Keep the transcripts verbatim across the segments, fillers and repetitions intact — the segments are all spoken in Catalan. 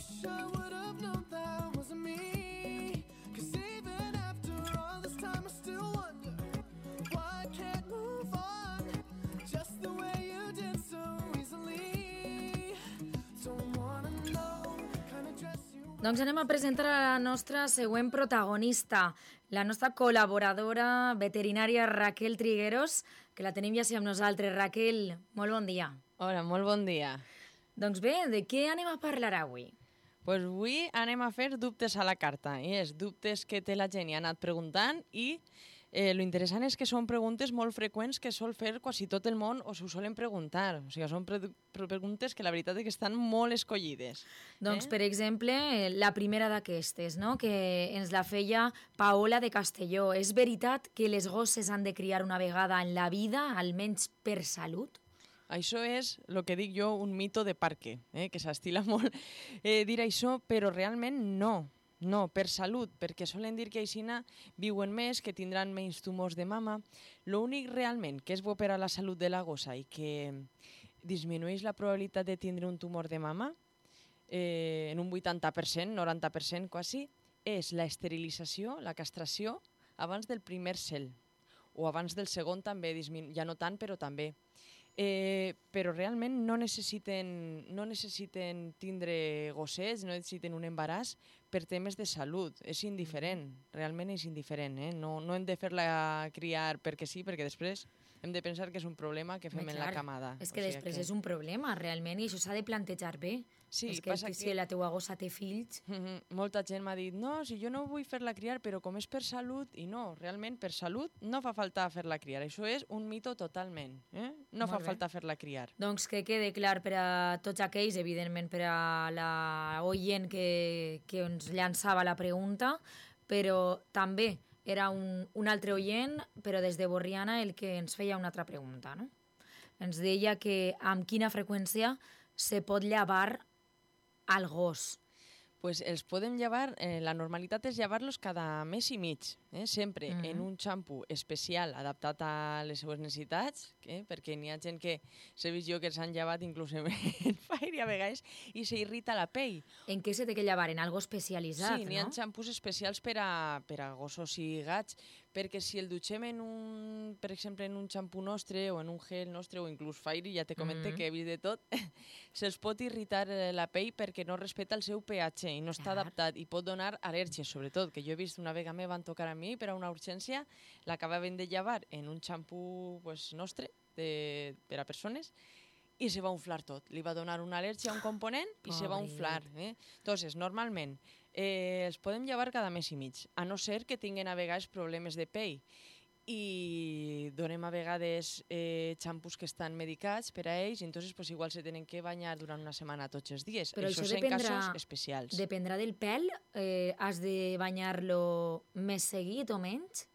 wish I would have known that wasn't me. Cause even after all this time I still wonder why I can't move on just the way you did so easily. Don't wanna know kind of dress you. Doncs anem a presentar a la nostra següent protagonista, la nostra col·laboradora veterinària Raquel Trigueros, que la tenim ja així amb nosaltres. Raquel, molt bon dia. Hola, molt bon dia. Doncs bé, de què anem a parlar avui? Pues avui anem a fer dubtes a la carta, i és dubtes que té la gent i ha anat preguntant, i eh, lo interessant és que són preguntes molt freqüents que sol fer quasi tot el món o s'ho solen preguntar. O sigui, són pre pre preguntes que la veritat és que estan molt escollides. Doncs, eh? per exemple, la primera d'aquestes, no?, que ens la feia Paola de Castelló. És veritat que les gosses han de criar una vegada en la vida, almenys per salut? Això és el que dic jo, un mito de parque, eh? que s'estila molt eh, dir això, però realment no. No, per salut, perquè solen dir que aixina viuen més, que tindran menys tumors de mama. L'únic realment que és bo per a la salut de la gossa i que disminueix la probabilitat de tindre un tumor de mama eh, en un vuitanta per cent, noranta per cent quasi, és la esterilització, la castració, abans del primer cel. O abans del segon també, ja no tant, però també. Eh, però realment no necessiten, no necessiten tindre gossets, no necessiten un embaràs per temes de salut. És indiferent, realment és indiferent. Eh? No, no hem de fer-la criar perquè sí, perquè després hem de pensar que és un problema que fem Bé, en clar, la camada. És que o sigui després que... és un problema, realment, i això s'ha de plantejar bé. Sí, és que, passa que si que- la teua gossa té fills... Mhm. Molta gent m'ha dit, no, si jo no vull fer-la criar, però com és per salut, i no, realment per salut no fa falta fer-la criar. Això és un mito totalment. Eh? No Molt fa bé. falta fer-la criar. Doncs que quede clar per a tots aquells, evidentment per a la oient que, que ens llançava la pregunta, però també era un, un altre oient, però des de Borriana, el que ens feia una altra pregunta, no? Ens deia que amb quina freqüència se pot llevar al gos. Pues els podem llevar, eh, la normalitat és llevar-los cada mes i mig, eh? sempre Mhm. en un xampú especial adaptat a les seues necessitats, eh? perquè n'hi ha gent que s'he vist jo que s'han llevat inclús en Fire a vegades i s'irrita la pell. En què se té que llevar? En algo especialitzat, Sí, n'hi ha no? xampús especials per a, per a gossos i gats, perquè si el dutxem en un, per exemple, en un xampú nostre o en un gel nostre o inclús Fairy, ja te comente Mhm. que he vist de tot, se'ls pot irritar eh, la pell perquè no respecta el seu pH i no està Clar. adaptat i pot donar al·lèrgies, sobretot, que jo he vist una vegada me van tocar a mi per a una urgència, l'acabaven de llevar en un xampú pues, nostre de, per a persones i se va inflar tot. Li va donar una al·lèrgia a un component i se va Pobret. inflar. Eh? Entonces, normalment, eh, els podem llevar cada mes i mig, a no ser que tinguin a vegades problemes de pell. I donem a vegades eh, xampús que estan medicats per a ells, i entonces pues, igual se tenen que banyar durant una setmana tots els dies. Però això això és en dependrà- casos especials. Dependrà del pèl? Eh, has de banyar-lo més seguit o menys?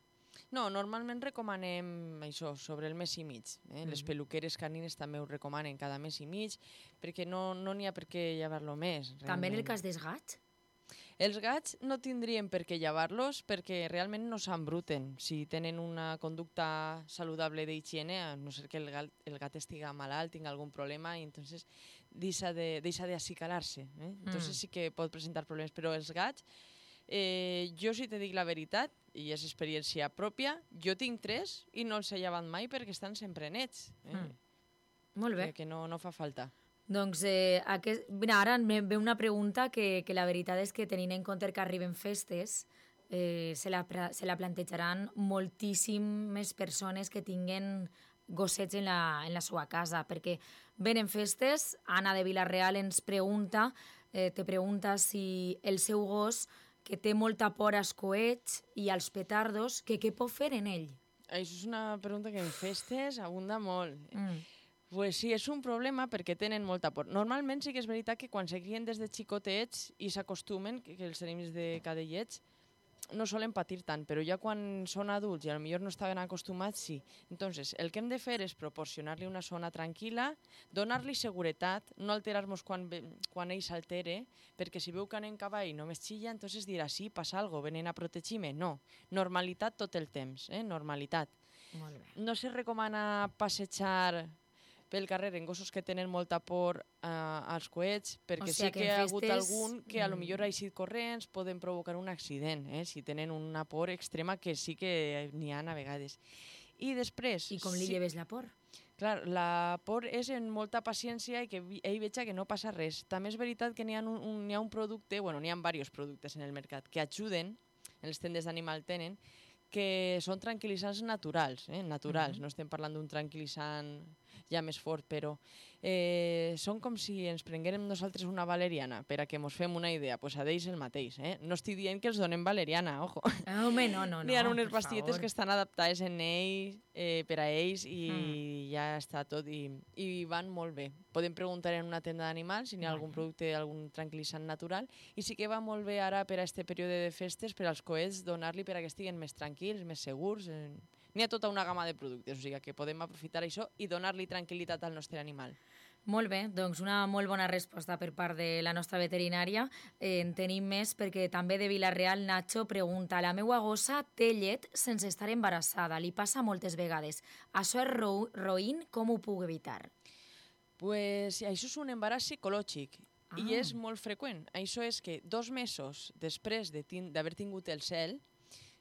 No, normalment recomanem això, sobre el mes i mig. Eh? Les Mhm. peluqueres canines també ho recomanen cada mes i mig, perquè no n'hi no n'hi ha per què llevar-lo més. També en el realment. cas dels gats? Els gats no tindrien per què llevar-los perquè realment no s'embruten. Si tenen una conducta saludable d'higiene, a no ser que el gat, el gat estiga malalt, tingui algun problema, i entonces deixa de, deixa de acicalar-se. Eh? Entonces Mm. sí que pot presentar problemes. Però els gats, eh, jo si te dic la veritat, i és experiència pròpia, jo tinc tres i no els he llevat mai perquè estan sempre nets. Eh? Mm. Molt bé. Que, que no, no fa falta. Doncs eh, aquest... Mira, ara em ve una pregunta que, que la veritat és que tenint en compte que arriben festes, eh, se, la, pra- se la plantejaran moltíssimes persones que tinguen gossets en la, en la seva casa, perquè venen festes, Anna de Vilareal ens pregunta, eh, te pregunta si el seu gos, que té molta por als coets i als petardos, que què pot fer en ell? Això és una pregunta que en festes abunda molt. Mm. Pues sí, és un problema perquè tenen molta por. Normalment sí que és veritat que quan se crien des de xicotets i s'acostumen, que, que els tenim de cadellets, no solen patir tant, però ja quan són adults i potser no estaven acostumats, sí. Entonces, el que hem de fer és proporcionar-li una zona tranquil·la, donar-li seguretat, no alterar-nos quan, ve- quan ell s'altere, perquè si veu que anem cavall i només xilla, entonces dirà, sí, passa algo, venen a protegir-me. No, normalitat tot el temps, eh? normalitat. Molt bé. No se recomana passejar pel carrer en gossos que tenen molta por uh, als coets, perquè O sigui sí que, que hi en ha hagut festes, algun que a lo mm. millor ha eixit corrents poden provocar un accident, eh? Si tenen una por extrema, que sí que n'hi ha a vegades. I després... I com li sí, lleves la por? clar, la por és en molta paciència i que vi- ell veig que no passa res. També és veritat que n'hi ha un, un, n'hi ha un producte, bueno, n'hi ha diversos productes en el mercat que ajuden, en les tendes d'animal tenen, que són tranquil·litzants naturals, eh? naturals, Mhm. no estem parlant d'un tranquil·litzant ja més fort, però eh, són com si ens prenguérem nosaltres una valeriana, per a que mos fem una idea, pues a d'ells el mateix. Eh? No estic dient que els donem valeriana, ojo. Ah, home, no, no, no. N'hi ha unes per pastilletes favor. que estan adaptades en ells, eh, per a ells i Mm. ja està tot i, i van molt bé. Podem preguntar en una tenda d'animals si n'hi ha algun Vale. producte, algun tranquil·litzant natural, i sí que va molt bé ara per a este període de festes, per als coets, donar-li per a que estiguen més tranquils, més segurs. Eh. N'hi ha tota una gamma de productes, o sigui que podem aprofitar això i donar-li tranquil·litat al nostre animal. Molt bé, doncs una molt bona resposta per part de la nostra veterinària. Eh, en tenim més perquè també de Vilareal Nacho pregunta: la meua gossa té llet sense estar embarassada, li passa moltes vegades. Això és ro roïn, com ho puc evitar? Pues això és un embaràs psicològic Ah. i és molt freqüent. Això és que dos mesos després de tin d'haver tingut el cel,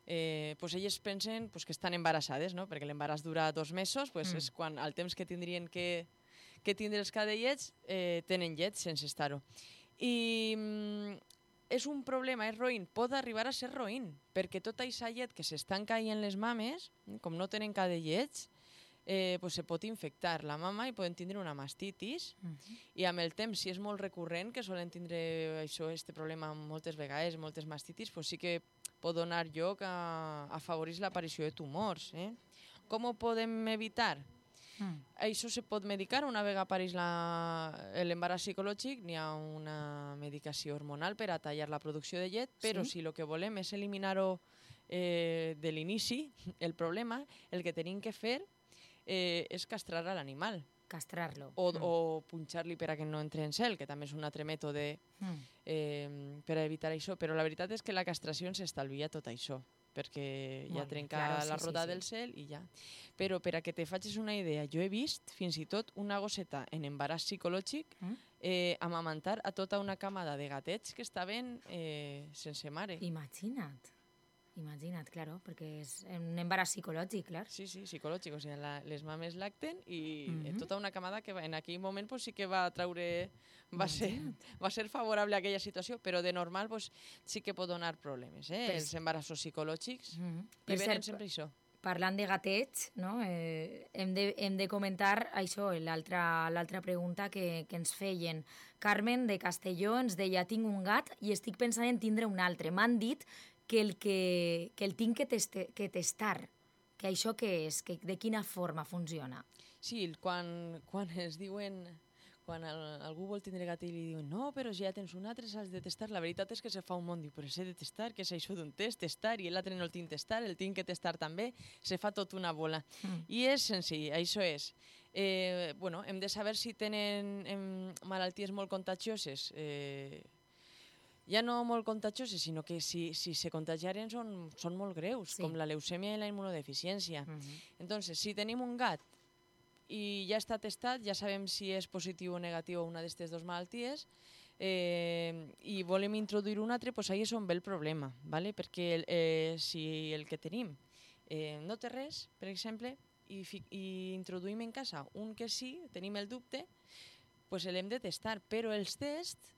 eh, pues elles pensen pues, que estan embarassades, no? Perquè l'embaràs dura dos mesos, pues Mm. és quan al temps que tindrien que, que tindre els cadellets, eh, tenen llet sense estar-ho. I mm, és un problema, és roïn, pot arribar a ser roïn, perquè tota aquesta llet que s'estan caient les mames, com no tenen cadellets, eh, pues se pot infectar la mama i poden tindre una mastitis, Mm. i amb el temps, si és molt recurrent, que solen tindre això, este problema moltes vegades, moltes mastitis, pues sí que pot donar lloc a, a afavorir l'aparició de tumors. Eh? Com ho podem evitar? Mm. Això se pot medicar una vegada apareix la- l'embaràs psicològic, n'hi ha una medicació hormonal per a tallar la producció de llet, però Sí? si el que volem és eliminar-ho eh, de l'inici, el problema, el que tenim que fer eh, és castrar a l'animal Castrar-lo. o, Mm. o punxar-li per a que no entre en cel, que també és un altre mètode Mm. eh, per a evitar això, però la veritat és que la castració ens estalvia tot això, perquè ja Molt bé, trenca claro, la sí, roda sí, sí. del cel i ja. Però per a que te facis una idea, jo he vist fins i tot una gosseta en embaràs psicològic Mm. eh, amamantar a tota una camada de gatets que estaven eh, sense mare. Imagina't. Imagina't, claro, perquè és un embaràs psicològic, clar. Sí, sí, psicològic, o sigui, la, les mames lacten i Mhm. eh, tota una camada que va- en aquell moment pues, sí que va traure, va ser, Imagina't. va ser favorable a aquella situació, però de normal pues, sí que pot donar problemes, eh? Per- Els embarassos psicològics. Mm. I Per venen cert, sempre això. parlant de gatets, no? eh, hem, de, hem de comentar això, l'altra l'altra pregunta que, que ens feien. Carmen, de Castelló, ens deia: tinc un gat i estic pensant en tindre un altre. M'han dit que el, que, que el tinc que, teste, que testar. Que això què és? Que, de quina forma funciona? Sí, quan, quan es diuen... Quan el, algú vol tindre gat i li diuen no, però si ja tens un altre s'has de testar, la veritat és que se fa un món, diu, però s'he de testar, què és això d'un test, testar, i l'altre no el tinc testar, el tinc que testar també, se fa tot una bola. Mm. I és senzill, això és. Eh, bueno, hem de saber si tenen em, malalties molt contagioses, eh, ja no molt contagioses, sinó que si, si se contagiaren són, són molt greus, Sí. com la leucèmia i la immunodeficiència. Mm -hmm. Entonces, si tenim un gat i ja està testat, ja sabem si és positiu o negatiu a una d'aquestes dues malalties, eh, i volem introduir un altre, doncs ahí és on ve el problema, ¿vale? Perquè eh, si el que tenim eh, no té res, per exemple, i, fi, i introduïm en casa un que sí, tenim el dubte, doncs l'hem de testar, però els tests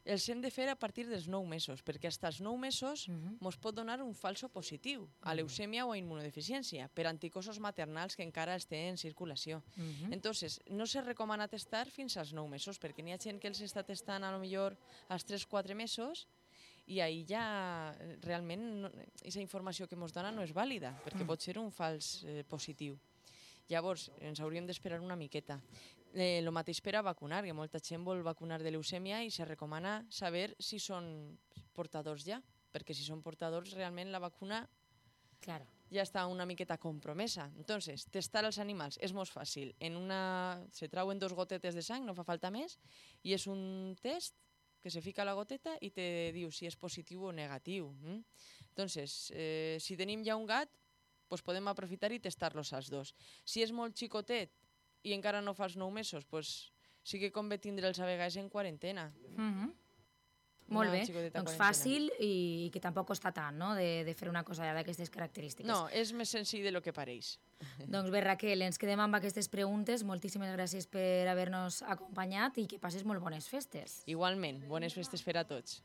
els hem de fer a partir dels nou mesos, perquè fins als nou mesos Mhm. ens pot donar un falso positiu a leucèmia o a immunodeficiència per anticossos maternals que encara els tenen en circulació. Mhm. Entonces, no se recomana testar fins als nou mesos, perquè n'hi ha gent que els està testant a lo millor als tres quatre mesos i ahí ja eh, realment aquesta informació que ens dona no és vàlida, perquè Mm. pot ser un fals eh, positiu. Llavors, ens hauríem d'esperar una miqueta. El eh, mateix per a vacunar, que molta gent vol vacunar de leucèmia i se recomana saber si són portadors ja, perquè si són portadors realment la vacuna Claro. ja està una miqueta compromesa. Entonces, testar els animals és molt fàcil. En una... Se trauen dos gotetes de sang, no fa falta més, i és un test que se fica a la goteta i te diu si és positiu o negatiu. Mm? Entonces, eh, si tenim ja un gat, pues podem aprofitar i testar-los als dos. Si és molt xicotet, i encara no fas nou mesos, pues sí que convé tindre'ls a vegades en quarantena. Mhm. Molt Una bé, xicoteta doncs quarantena. fàcil i que tampoc costa tant, no?, de, de fer una cosa d'aquestes característiques. No, és més senzill de lo que pareix. Doncs bé, Raquel, ens quedem amb aquestes preguntes. Moltíssimes gràcies per haver-nos acompanyat i que passes molt bones festes. Igualment, bones festes per a tots.